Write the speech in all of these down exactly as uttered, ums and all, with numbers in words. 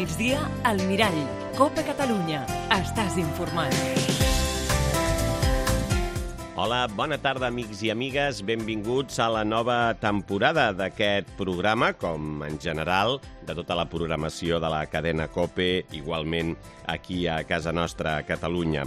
migdia, al Mirall. Cope Catalunya. Estàs informat. Hola, bona tarda, amics i amigues. Benvinguts a la nova temporada d'aquest programa, com en general, de tota la programació de la cadena COPE, igualment aquí a casa nostra, a Catalunya.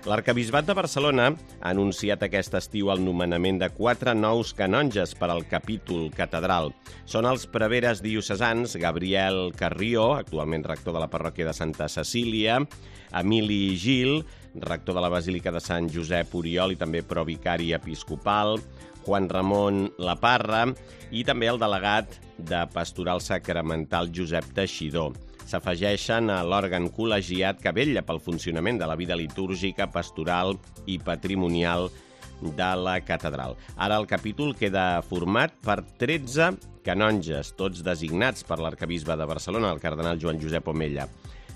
L'Arquebisbat de Barcelona ha anunciat aquest estiu el nomenament de quatre nous canonges per al capítol catedral. Són els preveres diocesans Gabriel Carrió, actualment rector de la parròquia de Santa Cecília, Emili Gil, rector de la Basílica de Sant Josep Oriol i també provicari episcopal, Juan Ramon Laparra i també el delegat de Pastoral Sacramental Josep Teixidor. S'afegeixen a l'òrgan col·legiat que vetlla pel funcionament de la vida litúrgica, pastoral i patrimonial de la catedral. Ara el capítol queda format per tretze canonges, tots designats per l'arquebisbe de Barcelona, el cardenal Joan Josep Omella.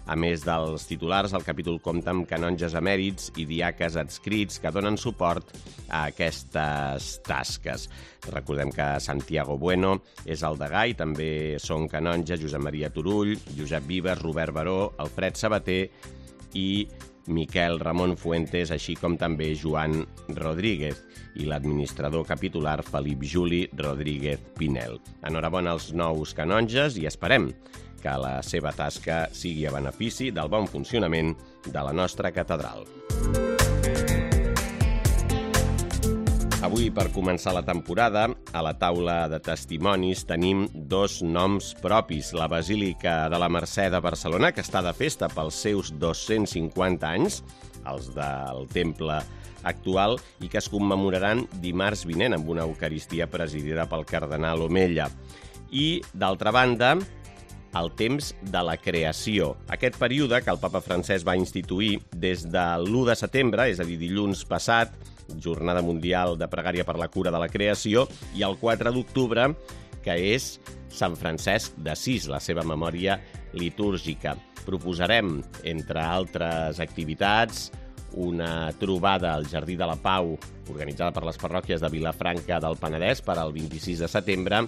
A més dels titulars, el capítol compta amb canonges emèrits i diaques adscrits que donen suport a aquestes tasques. Recordem que Santiago Bueno és el degà i també són canonges Josep Maria Turull, Josep Vives, Robert Baró, Alfred Sabater i Miquel Ramon Fuentes, així com també Joan Rodríguez i l'administrador capitular Felip Juli Rodríguez Pinel. Enhorabona als nous canonges i esperem que la seva tasca sigui a benefici del bon funcionament de la nostra catedral. Avui, per començar la temporada, a la taula de testimonis tenim dos noms propis. La Basílica de la Mercè de Barcelona, que està de festa pels seus dos-cents cinquanta anys, els del temple actual, i que es commemoraran dimarts vinent amb una eucaristia presidida pel cardenal Omella. I, d'altra banda, el temps de la creació. Aquest període que el papa Francesc va instituir des de l'u de setembre, és a dir, dilluns passat, Jornada Mundial de Pregària per la Cura de la Creació, i el quatre d'octubre, que és Sant Francesc d'Assís, la seva memòria litúrgica. Proposarem, entre altres activitats, una trobada al Jardí de la Pau, organitzada per les parròquies de Vilafranca del Penedès per al vint-i-sis de setembre,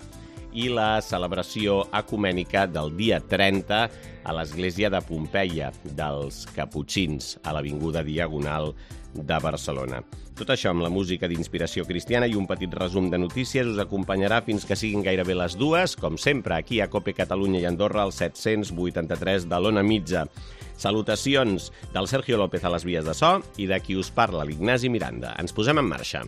i la celebració ecumènica del dia trenta a l'església de Pompeia dels Caputxins, a l'avinguda Diagonal de Barcelona. Tot això amb la música d'inspiració cristiana i un petit resum de notícies us acompanyarà fins que siguin gairebé les dues, com sempre, aquí a Cope Catalunya i Andorra, al set-cents vuitanta-tres de l'Ona Mitja. Salutacions del Sergio López a les vies de so i de qui us parla, l'Ignasi Miranda. Ens posem en marxa.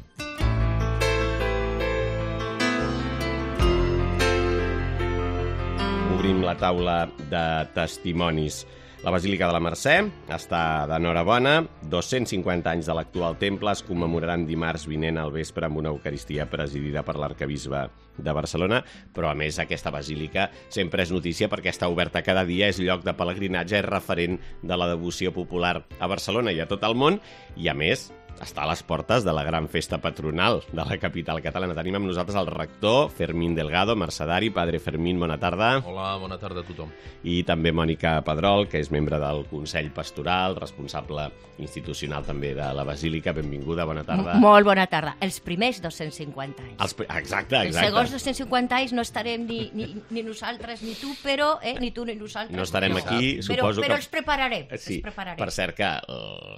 Obrim la taula de testimonis. La Basílica de la Mercè està d'enhorabona. dos-cents cinquanta anys de l'actual temple es commemoraran dimarts vinent al vespre amb una eucaristia presidida per l'arquebisbe de Barcelona, però a més aquesta basílica sempre és notícia perquè està oberta cada dia, és lloc de pelegrinatge, és referent de la devoció popular a Barcelona i a tot el món, i a més està a les portes de la gran festa patronal de la capital catalana. Tenim amb nosaltres el rector Fermín Delgado, mercedari. Padre Fermín, bona tarda. Hola, bona tarda a tothom. I també Mònica Pedrol, que és membre del Consell Pastoral, responsable institucional també de la Basílica. Benvinguda, bona tarda. Molt bona tarda. Els primers dos-cents cinquanta anys. Els, exacte, exacte. Els segons dos-cents cinquanta anys no estarem ni, ni, ni nosaltres ni tu, però, eh, ni tu ni nosaltres. No estarem però, aquí, però, suposo però que... els prepararem. Sí, els prepararem. Per cert que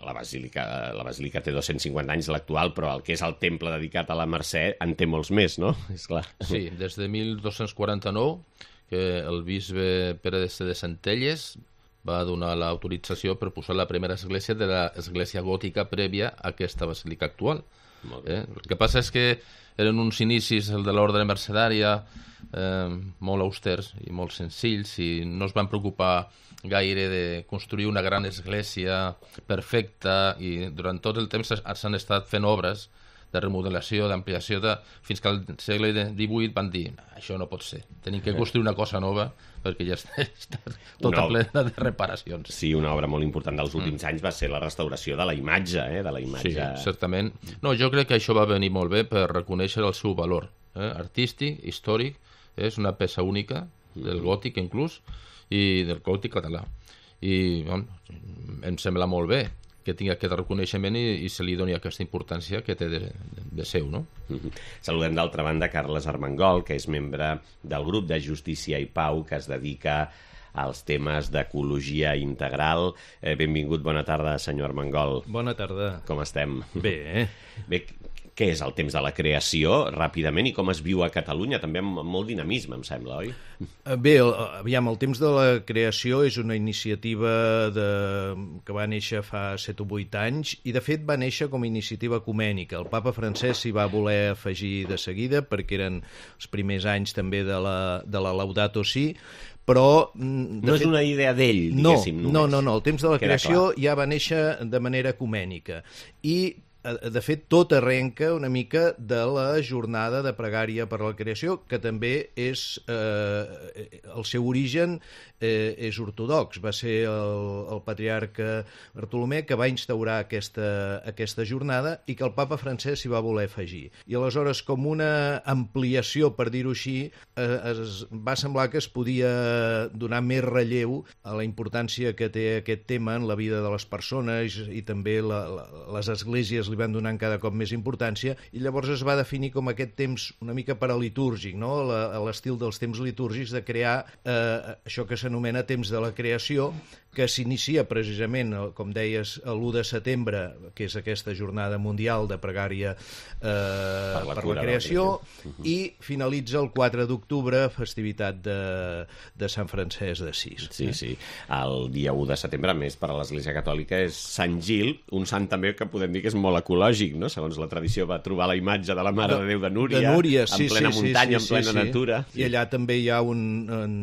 la Basílica, la Basílica té dos-cents cinquanta anys l'actual, però el que és el temple dedicat a la Mercè en té molts més, no? És clar. Sí, des de mil dos-cents quaranta-nou, que el bisbe Pere de Centelles va donar l'autorització per posar la primera església de l'església gòtica prèvia a aquesta basílica actual. Molt bé. Eh? El que passa és que eren uns inicis, el de l'ordre mercedària, eh, molt austers i molt senzills, i no es van preocupar gaire de construir una gran església perfecta, i durant tot el temps s'han estat fent obres de remodelació, d'ampliació, de... fins que al segle divuit van dir això no pot ser, tenim que construir una cosa nova perquè ja està, està tota Una... plena de reparacions. Sí, una obra molt important dels últims mm. anys va ser la restauració de la imatge, eh? de la imatge... Sí, certament. No, jo crec que això va venir molt bé per reconèixer el seu valor eh? artístic, històric, és una peça única del gòtic inclús, i del gòtic català. I bueno, em sembla molt bé que tingui aquest reconeixement i, i se li doni aquesta importància que té de, de, de seu, no? Mm-hmm. Saludem d'altra banda Carles Armengol, que és membre del grup de Justícia i Pau, que es dedica als temes d'ecologia integral. Eh, benvingut, bona tarda, senyor Armengol. Bona tarda. Com estem? Bé, eh? Bé, què és el temps de la creació, ràpidament, i com es viu a Catalunya, també amb molt dinamisme, em sembla, oi? Bé, aviam, el temps de la creació és una iniciativa de... que va néixer fa set o vuit anys, i de fet va néixer com a iniciativa ecumènica. El papa Francesc s'hi va voler afegir de seguida, perquè eren els primers anys també de la, de la Laudato Si, però... No és fet, una idea d'ell, diguéssim, no, només. No, no, no, el temps de la Queda creació clar. Ja va néixer de manera ecumènica, i de fet, tot arrenca una mica de la jornada de pregària per la creació, que també és... Eh, el seu origen eh, és ortodox. Va ser el, el patriarca Bartolomé que va instaurar aquesta, aquesta jornada i que el papa Francesc s'hi va voler afegir. I aleshores, com una ampliació, per dir-ho així, eh, es va semblar que es podia donar més relleu a la importància que té aquest tema en la vida de les persones, i també la, la, les esglésies li van donant cada cop més importància, i llavors es va definir com aquest temps una mica paralitúrgic, no? A l'estil dels temps litúrgics, de crear eh, això que s'anomena temps de la creació, que s'inicia precisament, com deies, l'u de setembre, que és aquesta jornada mundial de pregària eh, per la, per la creació, uh-huh. i finalitza el quatre d'octubre, festivitat de, de Sant Francesc d'Assís. Sí, eh? sí. El dia u de setembre, a més, per a l'Església Catòlica, és Sant Gil, un sant també que podem dir que és molt ecològic, no? Segons la tradició, va trobar la imatge de la Mare de, de Déu de Núria, de Núria sí, en plena sí, muntanya, sí, sí, en plena sí, natura. Sí. I allà també hi ha un, un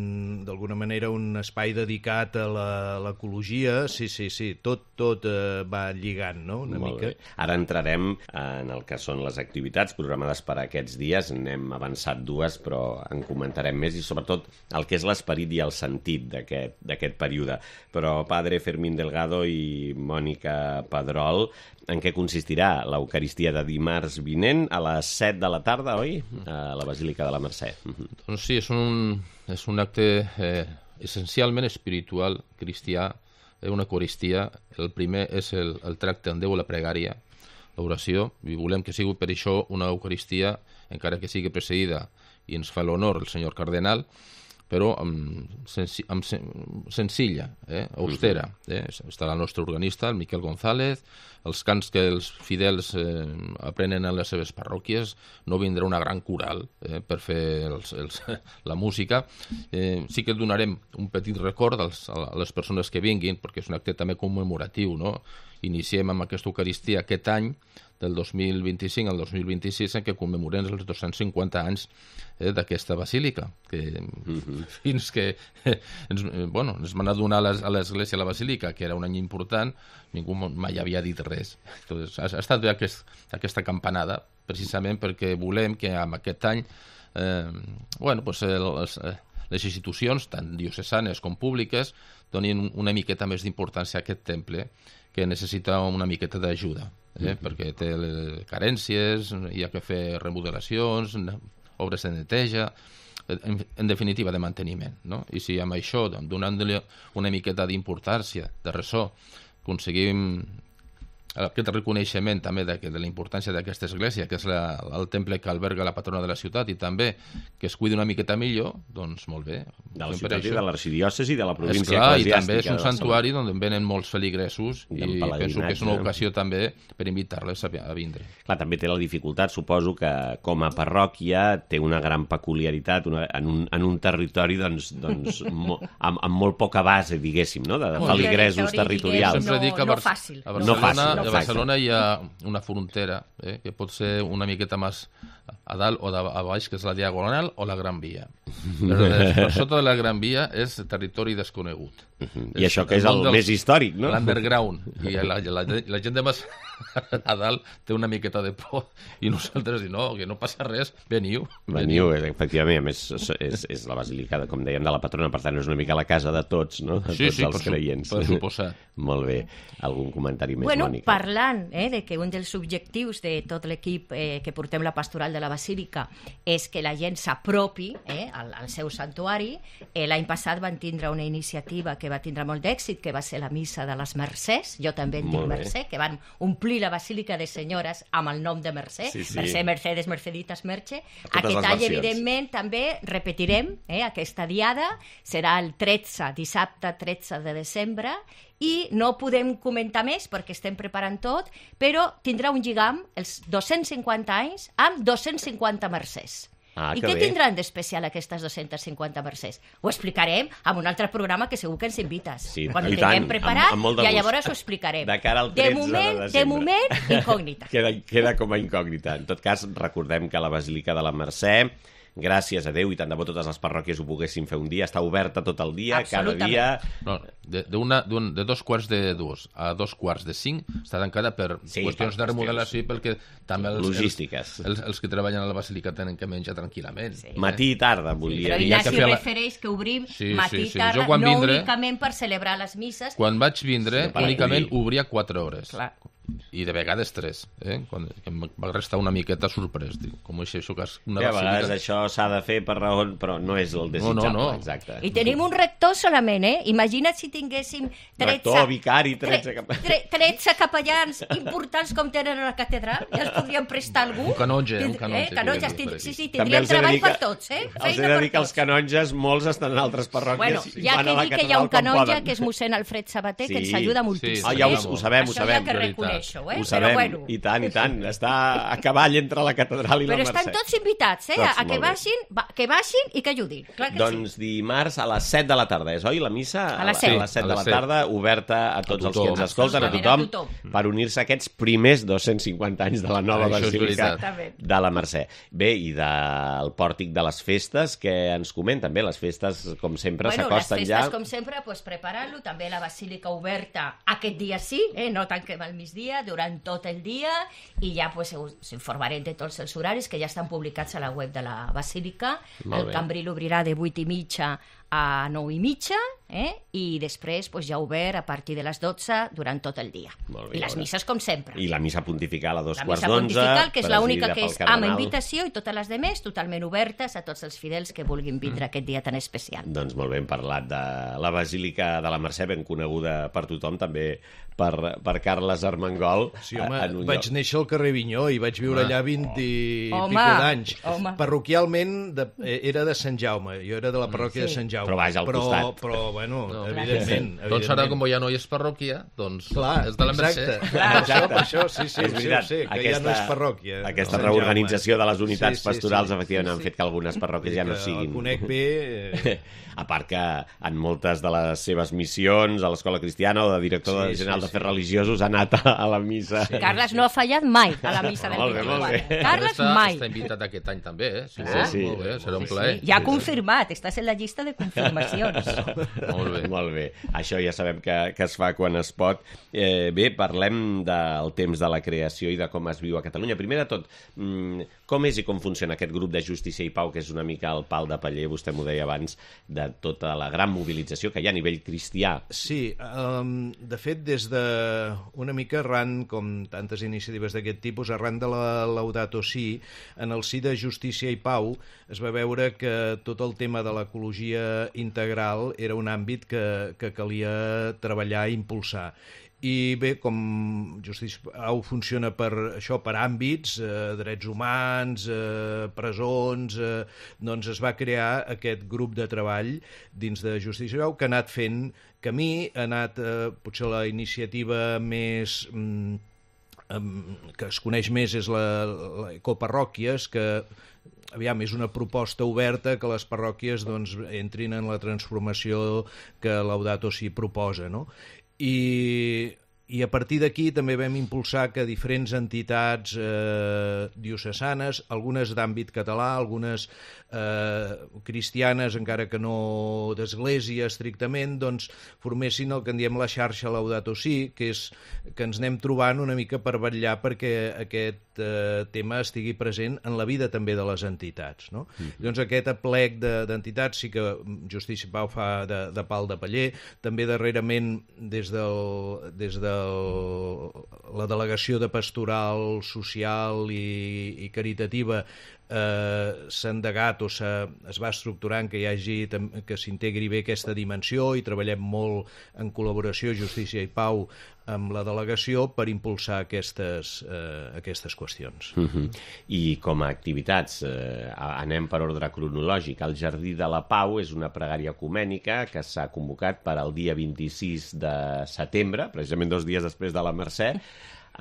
d'alguna manera, un espai dedicat a la l'ecologia, sí, sí, sí, tot, tot eh, va lligant, no?, una Molt mica. Bé. Ara entrarem en el que són les activitats programades per a aquests dies. N'hem avançat dues, però en comentarem més, i sobretot el que és l'esperit i el sentit d'aquest període. Però, padre Fermín Delgado i Mònica Pedrol, en què consistirà l'Eucaristia de dimarts vinent a les set de la tarda, oi?, a la Basílica de la Mercè. Doncs sí, és un, és un acte... Eh... essencialment espiritual, cristià, una eucaristia. El primer és el, el tracte amb Déu, la pregària, l'oració, i volem que sigui per això una eucaristia, encara que sigui precedida, i ens fa l'honor el senyor cardenal, però amb, sensi, amb sen, senzilla, eh, austera. Eh? Està el nostre organista, el Miquel González, els cants que els fidels eh, aprenen a les seves parròquies, no vindrà una gran coral eh, per fer els, els, la música. Eh, sí que donarem un petit record als, a les persones que vinguin, perquè és un acte també commemoratiu, no? Iniciem amb aquesta Eucaristia aquest any, del dos mil vint-i-cinc al dos mil vint-i-sis, en què commemorem els dos-cents cinquanta anys eh, d'aquesta basílica, que mm-hmm. fins que eh, ens, eh, bueno, ens van a donar a l'església la basílica, que era un any important, ningú mai havia dit res. Entonces, ha, ha estat bé aquest, aquesta campanada, precisament perquè volem que amb aquest any eh, bueno, pues, el, els, les institucions, tant diocesanes com públiques, donin una miqueta més d'importància a aquest temple, que necessita una miqueta d'ajuda, eh? Mm-hmm. perquè té carències, hi ha que fer remodelacions, obres de neteja, en, en definitiva de manteniment, no? I si amb això, donant-li una miqueta d'importància, de ressò, aconseguim aquest reconeixement també de, de la importància d'aquesta església, que és la, el temple que alberga la patrona de la ciutat, i també que es cuidi una miqueta millor, doncs molt bé. De la ciutat i de l'arxidiòcesi i de la província Esclar, eclesiàstica. I també és un santuari on venen molts feligresos, i, i penso que és una ocasió també per invitar-les a, a vindre. Clar, també té la dificultat, suposo, que com a parròquia té una gran peculiaritat una, en, un, en un territori doncs, doncs, mo, amb, amb molt poca base, diguéssim, no? de, de feligresos territorials. Sempre dic que a, no, no fàcil. a Barcelona, no fàcil. A Barcelona hi ha una frontera eh, que pot ser una miqueta més a dalt o a baix, que és la Diagonal o la Gran Via. Però per sota de la Gran Via és territori desconegut. Uh-huh. I això que és el, el més històric, no? L'underground. I la, la, la gent de més a dalt té una miqueta de por, i nosaltres dic, no, que no passa res, veniu. Veniu, veniu. Efectivament, a més és, és la basílica, com dèiem, de la patrona, per tant és una mica la casa de tots, no? De sí, tots sí, els per creients. Per suposar. Molt bé. Algun comentari més, bueno, Mònica? Parlant eh, de que un dels objectius de tot l'equip eh, que portem la pastoral de de la Basílica és que la gent s'apropi eh, al, al seu santuari. Eh, L'any passat van tindre una iniciativa que va tindre molt d'èxit, que va ser la missa de les Mercès, jo també en dic Mercè, que van omplir la Basílica de Senyores amb el nom de Mercè, sí, sí. Mercè, Mercedes, Merceditas, Merche. Aquest any, evidentment, també repetirem eh, aquesta diada, serà el tretze, dissabte tretze de desembre, i no podem comentar més perquè estem preparant tot, però tindrà un lligam els dos-cents cinquanta anys amb dos-cents cinquanta mercès. Ah, I què què bé. tindran d'especial aquestes dos-cents cinquanta mercès? Ho explicarem en un altre programa que segur que ens invites. Sí, Quan i ho tinguem tant, preparat, amb- amb molt de ja gust. llavors ho explicarem. De cara al de tretze de moment, desembre. de moment, incògnita. queda, queda com a incògnita. En tot cas, recordem que la Basílica de la Mercè, gràcies a Déu i tant de bo totes les parròquies ho poguessin fer un dia, està oberta tot el dia, cada Absolutament. dia... No, de, de, una, d'un, de dos quarts de dues a dos quarts de cinc està tancada per Sí, qüestions per de remodelació i perquè també els, Logístiques. Els, els, els que treballen a la Basílica tenen que menjar tranquil·lament. Sí. Matí i tarda, volia Però dir. hi ha que Ignasi fer la- refereix que obrim Sí, matí sí, i sí. tarda, Jo quan no vindré- únicament per celebrar les misses. Quan vaig vindre, Sí, per únicament acollir. obria quatre hores. Clar. I de vegades tres. Eh? Quan, que em va restar una miqueta sorprès. Dic, com és això que és una Sí, a vegades basílica... això s'ha de fer per raó, però no és el desitjable, no, no. exacte. I tenim un rector solament, eh? Imagina't si tinguéssim tretze, Rector, vicari, tretze tre- cap- tre- tretze capellans importants com tenen a la catedral, ja els podríem prestar a algú. Un canonge, un Tind- canonge, Eh? Canonges, podríem dir per tind- sí, aquí. sí, També tindríem els he de treball dir que- per tots, eh? Els he Feina de per dir que els tots. canonges, molts estan en altres parròquies Bueno, i ja van que a la dic que hi ha catedral un com canonge, poden. que és mossèn Alfred Sabater, que ens Sí, ajuda sí, moltíssim. Ah, ja ho, eh? ho sabem, ho Això sabem. hi ha que veritat. reconèixer-ho, eh? Ho sabem, Però bueno. i tant, i tant. Està a cavall entre la catedral i Però la estan Mercè. tots invitats, eh? Tots, a que molt bé. baixin, va, que baixin i que ajudin. Clar que Doncs dimarts a les set de la tarda, és oi, la missa? A les A set. les set A de les la set. tarda, oberta a tots els que tothom. ens escolten, a Absolutament, tothom, a tothom. per unir-se a aquests primers dos-cents cinquanta anys de la nova Això és Basílica veritat. de la Mercè. Bé, i del pòrtic de les festes, que ens comenten? Bé, les festes, com sempre, Bueno, les s'acosten festes, ja... com sempre, pues, preparant-lo. També la basílica oberta aquest dia sí, eh? No tanquem al migdia, durant tot el dia, i ja pues, us informarem de tots els horaris que ja estan publicats a la web de la basílica. Molt El bé. cambril obrirà de vuit i mitja a nou i mitja, eh? I després pues, ja obert a partir de les dotze durant tot el dia. Molt bé, I les ja misses, com sempre. I la missa pontifical a dos La quarts missa d'onze. pontifical, que és l'única presidida que pel és amb cardenal. invitació, i totes les demés totalment obertes a tots els fidels que vulguin vindre aquest dia tan especial. Doncs molt bé, hem parlat de la Basílica de la Mercè, ben coneguda per tothom, també per, per Carles Armengol. Sí, home, en un vaig lloc- néixer al carrer Vinyó i vaig viure allà vint i Home, pico d'anys. home. Parroquialment de, eh, era de Sant Jaume, jo era de la parròquia Sí. de Sant Jaume. Però vaja, al però, costat. Però, bueno, No. evidentment, Doncs ara, evidentment. com ja no hi és parròquia, doncs Clar, és de la Mercè. exacte. Clar, Per exacte. això, per això, sí, sí, És sí, veritat, sí, que aquesta, ja no és parròquia. Aquesta Sant Jaume. reorganització de les unitats Sí, sí, pastorals, sí. efectivament, Sí, han sí. fet que algunes parròquies ja no Que siguin... El conec bé... Eh, A part que en moltes de les seves missions, a l'Escola Cristiana o de director Sí, general sí, d'Afers sí. Religiosos, ha anat a, a la missa. Sí. Carles no ha fallat mai a la missa del Molt bé, molt vint-i-quatre. bé. Carles està, mai. Està invitat aquest any també, eh? Sí, Ah, sí, sí. molt bé, serà un Sí, plaer. sí. Ja confirmat, estàs en la llista de confirmacions. Molt bé. Molt bé, això ja sabem que, que es fa quan es pot. Eh, bé, parlem del temps de la creació i de com es viu a Catalunya. Primer de tot, mm, com és i com funciona aquest grup de Justícia i Pau, que és una mica el pal de paller, vostè m'ho deia abans, de tota la gran mobilització que hi ha a nivell cristià. Sí, um, de fet, des de una mica arran, com tantes iniciatives d'aquest tipus, arran de la Laudato Si, en el si de Justícia i Pau es va veure que tot el tema de l'ecologia integral era un àmbit que, que calia treballar i impulsar. I bé, com Justícia Pau funciona per això, per àmbits, eh, drets humans, eh, presons, eh, doncs es va crear aquest grup de treball dins de Justícia Pau que ha anat fent camí, ha anat eh, potser la iniciativa més... Mm, que es coneix més és la, la Ecoparròquies, que aviam, és una proposta oberta que les parròquies doncs, entrin en la transformació que Laudato Si proposa, no? I, i a partir d'aquí també vam impulsar que diferents entitats eh, diocesanes, algunes d'àmbit català, algunes eh, cristianes, encara que no d'església estrictament, doncs formessin el que en diem la xarxa Laudato Si, que és que ens anem trobant una mica per vetllar perquè aquest eh, tema estigui present en la vida també de les entitats, no? Mm-hmm. Doncs aquest aplec d'entitats sí que Justícia Pau fa de, de pal de paller, també darrerament des del, des del el, la delegació de pastoral social i, i caritativa eh, s'ha endegat o es va estructurant que hi hagi, que s'integri bé aquesta dimensió i treballem molt en col·laboració Justícia i Pau amb la delegació per impulsar aquestes, eh, aquestes qüestions. Uh-huh. I com a activitats, eh, anem per ordre cronològic. El Jardí de la Pau és una pregària ecumènica que s'ha convocat per al dia vint-i-sis de setembre, precisament dos dies després de la Mercè,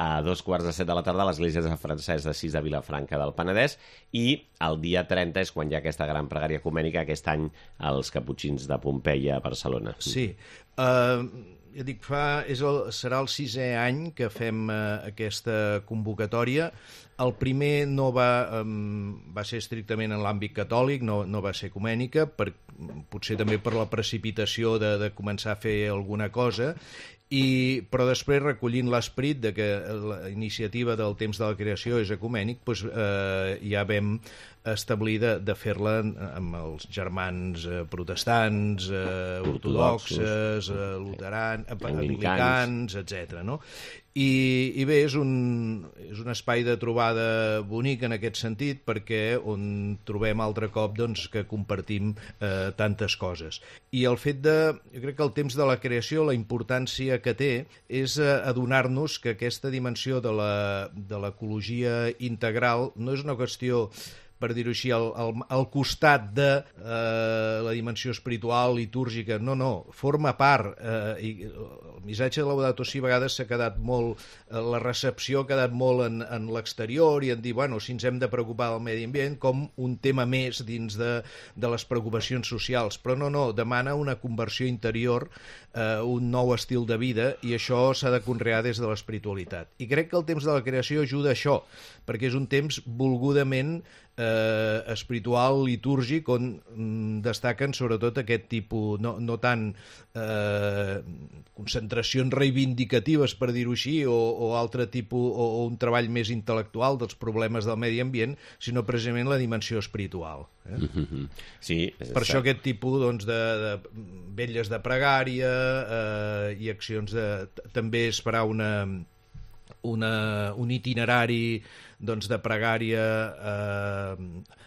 a dos quarts de set de la tarda a l'Església de Francesc d'Assís de Vilafranca del Penedès, i el dia trenta és quan hi ha aquesta gran pregària ecumènica, aquest any als Caputxins de Pompeia a Barcelona. Sí, uh, ja dic, fa, és el, serà el sisè any que fem uh, aquesta convocatòria. El primer no va, um, va ser estrictament en l'àmbit catòlic, no, no va ser ecumènica, per, potser també per la precipitació de, de començar a fer alguna cosa, i, però després, recollint l'esperit de que la iniciativa del temps de la creació és ecumènic, doncs, eh, ja vam establir de, de fer-la amb els germans eh, protestants, eh, ortodoxes, eh, luterans, anglicans, etcètera, no? I, i bé, és un, és un espai de trobada bonic en aquest sentit, perquè on trobem altre cop doncs, que compartim eh, tantes coses. I el fet de, jo crec que el temps de la creació, la importància que té és eh, adonar-nos que aquesta dimensió de la, de l'ecologia integral no és una qüestió, per dir-ho així, al, al, al costat de eh, la dimensió espiritual, litúrgica. No, no, forma part. Eh, i el missatge de Laudato Si a vegades s'ha quedat molt, eh, la recepció ha quedat molt en, en l'exterior i en dir, bueno, si ens hem de preocupar del medi ambient com un tema més dins de, de les preocupacions socials. Però no, no, demana una conversió interior, eh, un nou estil de vida, i això s'ha de conrear des de l'espiritualitat. I crec que el temps de la creació ajuda a això, perquè és un temps volgudament eh, espiritual, litúrgic, on mm, destaquen sobretot aquest tipus, no, no tant eh, concentracions reivindicatives, per dir-ho així, o, o altre tipus, o, o un treball més intel·lectual dels problemes del medi ambient, sinó precisament la dimensió espiritual. Eh? Mm-hmm. Sí, és per això aquest tipus doncs, de, de vetlles de pregària eh, i accions de... També es farà una... Una, un itinerari doncs, de pregària eh,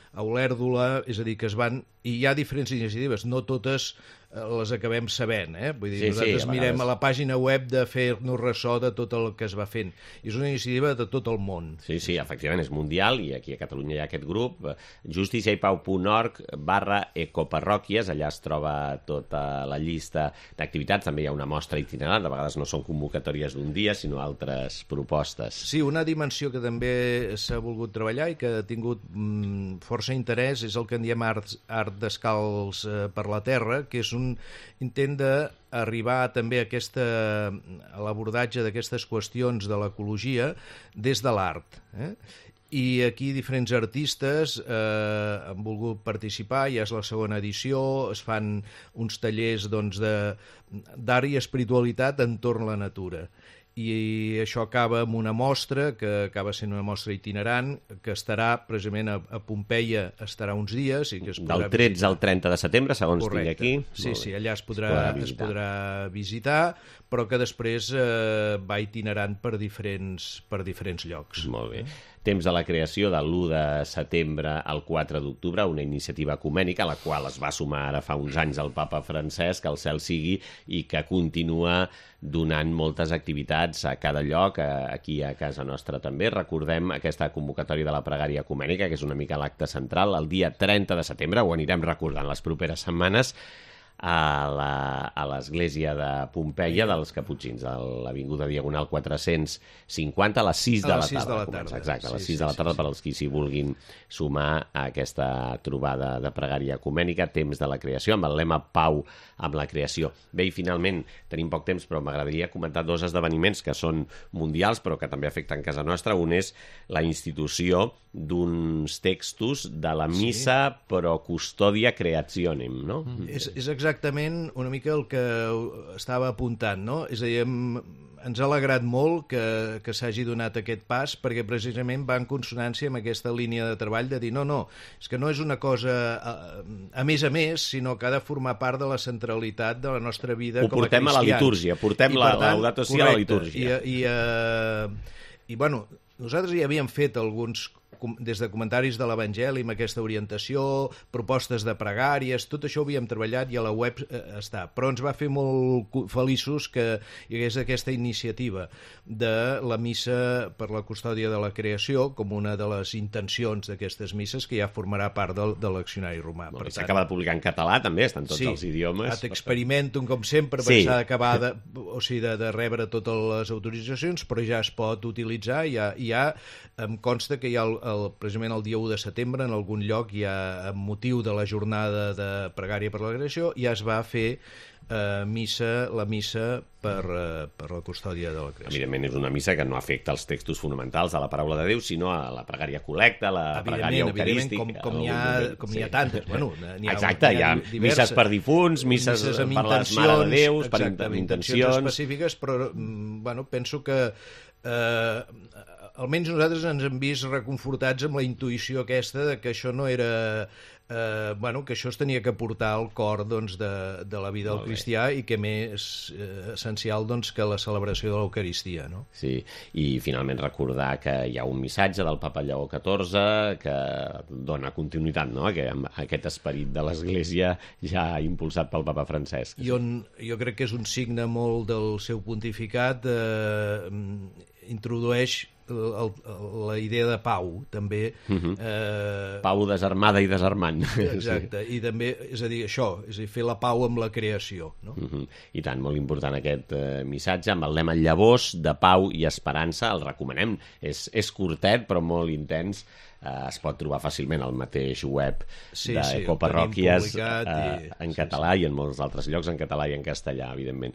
a Olèrdola, és a dir, que es van... I hi ha diferents iniciatives, no totes les acabem sabent, eh? Vull dir, sí, nosaltres sí, a mirem vegades a la pàgina web de fer-nos ressò de tot el que es va fent. És una iniciativa de tot el món. Sí, sí, efectivament, és mundial, i aquí a Catalunya hi ha aquest grup, justiciaipau.org barra ecoparròquies, allà es troba tota la llista d'activitats, també hi ha una mostra itinerant, de vegades no són convocatòries d'un dia, sinó altres propostes. Sí, una dimensió que també s'ha volgut treballar i que ha tingut mm, força interès és el que en diem art, art descalç eh, per la terra, que és un intent d'arribar també a, aquesta, a l'abordatge d'aquestes qüestions de l'ecologia des de l'art. Eh? I aquí diferents artistes eh, han volgut participar, ja és la segona edició, es fan uns tallers doncs, de, d'art i espiritualitat entorn a la natura. I això acaba amb una mostra, que acaba sent una mostra itinerant, que estarà precisament a, a Pompeia, estarà uns dies. I que es del tretze visitar. Al trenta de setembre, segons tinc aquí. Sí, sí, allà es podrà, es podrà, es podrà visitar, però que després eh, va itinerant per diferents, per diferents llocs. Molt bé. Temps de la creació de l'u de setembre al quatre d'octubre, una iniciativa ecumènica a la qual es va sumar ara fa uns anys el papa Francesc, que el cel sigui, i que continua donant moltes activitats a cada lloc, aquí a casa nostra també. Recordem aquesta convocatòria de la pregària ecumènica, que és una mica l'acte central, el dia trenta de setembre, ho anirem recordant les properes setmanes, a la, a l'església de Pompeia dels Caputxins, a l'avinguda Diagonal quatre-cents cinquanta, a les sis de la tarda. De la tarda. Exacte, a les sis de la tarda, per als qui s'hi vulguin sumar a aquesta trobada de pregària ecumènica, temps de la creació, amb el lema Pau amb la creació. Bé, i finalment, tenim poc temps, però m'agradaria comentar dos esdeveniments que són mundials, però que també afecten casa nostra. Un és la institució d'uns textos de la missa sí. Pro Custodia Creationem, no? Mm. És, és exactament una mica el que estava apuntant, no? És a dir, hem, ens ha alegrat molt que, que s'hagi donat aquest pas, perquè precisament va en consonància amb aquesta línia de treball de dir no, no, és que no és una cosa a, a més a més, sinó que ha de formar part de la centralitat de la nostra vida Ho com a portem cristians. a la litúrgia, portem I, la per tant, Laudato Si a la litúrgia. I, i, uh, i bueno, nosaltres ja havíem fet alguns des de comentaris de l'Evangeli amb aquesta orientació, propostes de pregàries, tot això ho havíem treballat i a la web eh, està. Però ens va fer molt feliços que hi hagués aquesta iniciativa de la missa per la custòdia de la creació com una de les intencions d'aquestes misses que ja formarà part del, de l'accionari romà. S'acaba de publicar en català també, estan tots sí, els idiomes. Sí, experimentum com sempre, sí. s'ha d'acabar de, o sigui, de, de rebre totes les autoritzacions, però ja es pot utilitzar, ja, ja em consta que hi ha el, el, precisament el dia u de setembre en algun lloc ja amb motiu de la jornada de pregària per la creació ja es va fer eh, missa, la missa per, eh, per la custòdia de la creació. Evidentment és una missa que no afecta els textos fonamentals de la paraula de Déu, sinó a la pregària col·lecta, la pregària eucarística. Com, com, hi ha, com hi ha tantes. Bueno, hi ha, Exacte, hi ha, hi ha misses per difunts, misses, misses per les Mare de Déus, per exacte, intencions específiques, però bueno, penso que eh, almenys nosaltres ens hem vist reconfortats amb la intuïció aquesta de que això no era... Eh, bueno, que això es tenia que portar al cor doncs, de, de la vida del cristià i que més eh, essencial doncs, que la celebració de l'Eucaristia, no? Sí, i finalment recordar que hi ha un missatge del papa Lleó catorze que dona continuïtat, no?, a aquest esperit de l'Església ja impulsat pel papa Francesc. I on jo crec que és un signe molt del seu pontificat, eh, introdueix el, el, la idea de pau, també. Uh-huh. eh... Pau desarmada i desarmant. Exacte, sí. I també, és a dir, això, és a dir, fer la pau amb la creació, no? Uh-huh. I tant, molt important aquest eh, missatge, amb el lema Llavors de pau i esperança, el recomanem. És, és curtet, però molt intens. Uh, es pot trobar fàcilment al mateix web sí, d'Ecoparròquies sí, uh, en sí, català sí. i en molts altres llocs, en català i en castellà, evidentment.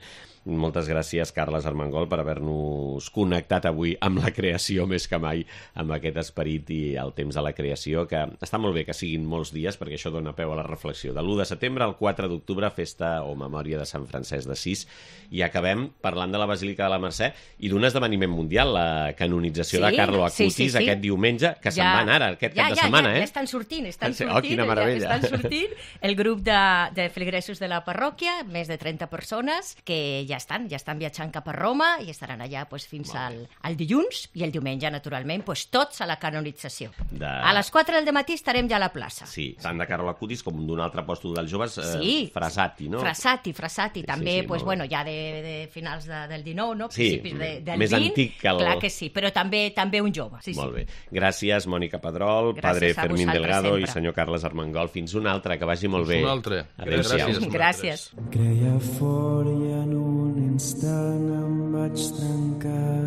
Moltes gràcies, Carles Armengol, per haver-nos connectat avui amb la creació més que mai, amb aquest esperit i el temps de la creació, que està molt bé que siguin molts dies, perquè això dona peu a la reflexió. De l'u de setembre al quatre d'octubre, festa o memòria de Sant Francesc d'Assís, i acabem parlant de la Basílica de la Mercè i d'un esdeveniment mundial, la canonització sí, de Carlo Acutis, sí, sí, sí. aquest diumenge, que ja, se'n van ara, aquest ja, cap de ja, setmana, ja, eh? Ja estan sortint, estan sí, sortint, oh, quina meravella. ja estan sortint el grup de, de feligresos de la parròquia, més de trenta persones, que ja estan, ja estan viatjant cap a Roma i estaran allà pues, fins al, al dilluns i el diumenge, naturalment, pues, tots a la canonització. De... A les quatre del matí estarem ja a la plaça. Sí, tant de Carlo Acutis com d'un altre apòstol dels joves, eh, sí. Frasati, no? Frasati, Frasati, sí, també, sí, sí, pues, bueno, ja de, de finals de, del dinou, no? Sí, principis de, del més vint, antic que el... Clar que sí, però també també un jove. Sí, Molt sí. bé. Gràcies, Mònica Pedrol, Gràcies padre Fermín Delgado sempre. i senyor Carles Armengol. Fins un altre, que vagi molt bé. Fins un altre. Gràcies. Gràcies. Creia fort i en un instant em vaig trencar.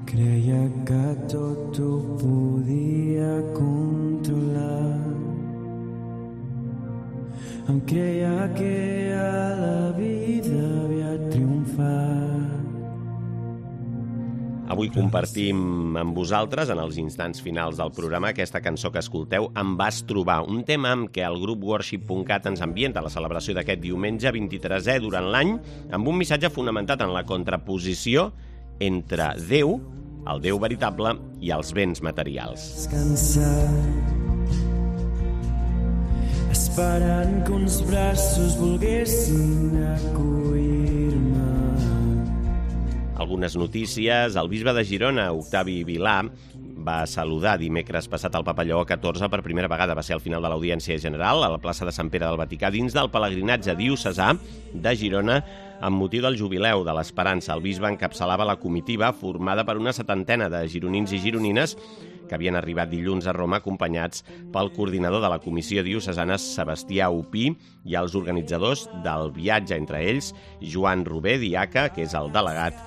Creia que tot ho podia controlar. Em creia que a la vida havia triomfat. Avui compartim amb vosaltres, en els instants finals del programa, aquesta cançó que escolteu, Em vas trobar, un tema amb què el grup worship punt cat ens ambienta la celebració d'aquest diumenge vint-i-tresè durant l'any, amb un missatge fonamentat en la contraposició entre Déu, el Déu veritable, i els béns materials. Descansat, esperant que uns braços volguessin acollir-me. Algunes notícies. El bisbe de Girona, Octavi Vilà, va saludar dimecres passat el papa Lleó catorze per primera vegada. Va ser al final de l'audiència general a la plaça de Sant Pere del Vaticà, dins del pelegrinatge diocesà de Girona, amb motiu del jubileu de l'Esperança. El bisbe encapçalava la comitiva formada per una setantena de gironins i gironines que havien arribat dilluns a Roma acompanyats pel coordinador de la comissió diocesana, Sebastià Upí, i els organitzadors del viatge, entre ells Joan Robé, diaca, que és el delegat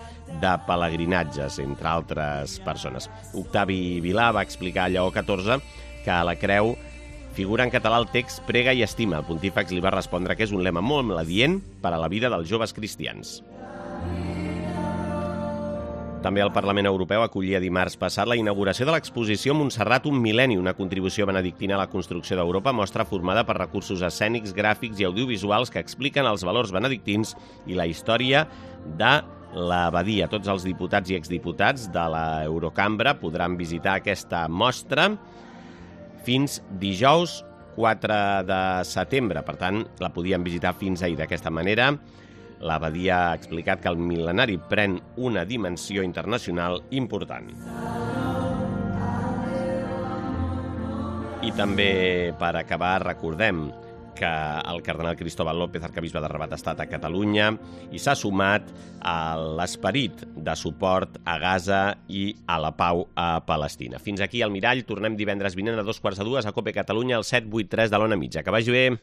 de pelegrinatges, entre altres persones. Octavi Vilà va explicar a Lleó catorze que a la creu figura en català el text Prega i estima. El pontífex li va respondre que és un lema molt adient per a la vida dels joves cristians. També el Parlament Europeu acollia dimarts passat la inauguració de l'exposició Montserrat un mil·lenni, una contribució benedictina a la construcció d'Europa, mostra formada per recursos escènics, gràfics i audiovisuals que expliquen els valors benedictins i la història de l'abadia. Tots els diputats i exdiputats de l'Eurocambra podran visitar aquesta mostra fins dijous quatre de setembre. Per tant, la podien visitar fins ahir. D'aquesta manera, l'abadia ha explicat que el mil·lenari pren una dimensió internacional important. I també, per acabar, recordem que el cardenal Cristóbal López, arquebisbe de Rabat, ha estat a Catalunya i s'ha sumat a l'esperit de suport a Gaza i a la pau a Palestina. Fins aquí el Mirall. Tornem divendres vinent a dos quarts de dues a COPE Catalunya, al set vuit tres de l'Ona Mitja. Que vagi bé.